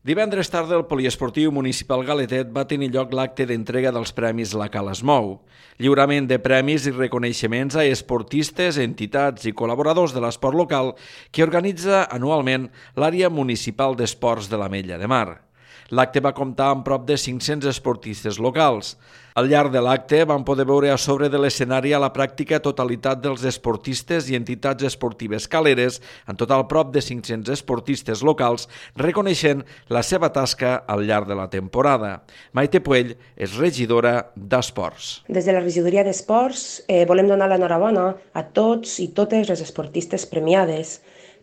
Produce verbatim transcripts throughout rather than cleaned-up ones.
Divendres tarda, el Poliesportiu Municipal Galetet va tenir lloc l'acte d'entrega dels premis La Cala es mou. Lliurament de premis i reconeixements a esportistes, entitats i col·laboradors de l'esport local que organitza anualment l'àrea municipal d'esports de l'Ametlla de Mar. L'acte va comptar amb prop de cinc-cents esportistes locals. Al llarg de l'acte van poder veure a sobre de l'escenari a la pràctica totalitat dels esportistes i entitats esportives caleres, en total prop de cinc-cents esportistes locals, reconeixent la seva tasca al llarg de la temporada. Maite Puell és regidora d'Esports. Des de la regidoria d'Esports eh, volem donar l'enhorabona a tots i totes les esportistes premiades,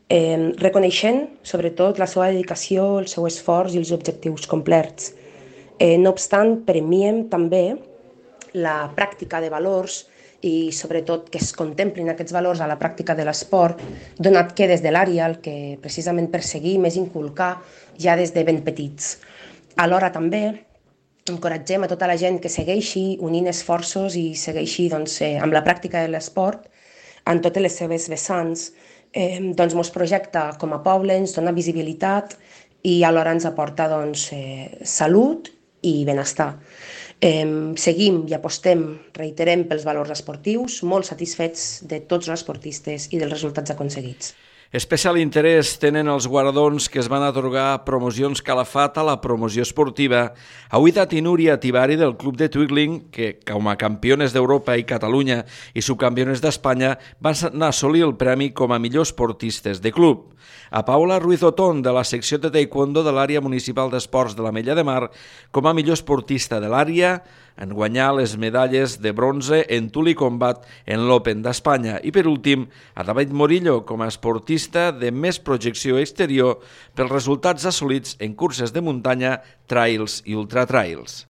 eh, reconeixent sobretot la seva dedicació, el seu esforç i els objectius complerts. Eh, no obstant, premiem també la pràctica de valors i sobretot que es contemplin aquests valors a la pràctica de l'esport, donat que des de l'àrea el que precisament perseguim és inculcar ja des de ben petits. Alhora també encoratgem a tota la gent que segueixi unint esforços i segueixi doncs, eh, amb la pràctica de l'esport en totes les seves vessants. Eh, doncs mos projecta com a poble, ens dona visibilitat i alhora ens aporta doncs, eh, salut i benestar. Eh, seguim i apostem, reiterem, pels valors esportius, molt satisfets de tots els esportistes i dels resultats aconseguits. Especial interès tenen els guardons que es van atorgar a Promocions Calafat a la promoció esportiva. Auidat i Núria Tivari del Club de Twigling, que com a campiones d'Europa i Catalunya i subcampiones d'Espanya van assolir el premi com a millors esportistes de club. A Paula Ruiz Otón, de la secció de taekwondo de l'àrea municipal d'esports de l'Ametlla de Mar, com a millor esportista de l'àrea, en guanyar les medalles de bronze en tul i combat en l'Open d'Espanya. I per últim, a David Morillo com a esportista de més projecció exterior pels resultats assolits en curses de muntanya, trails i ultratrails.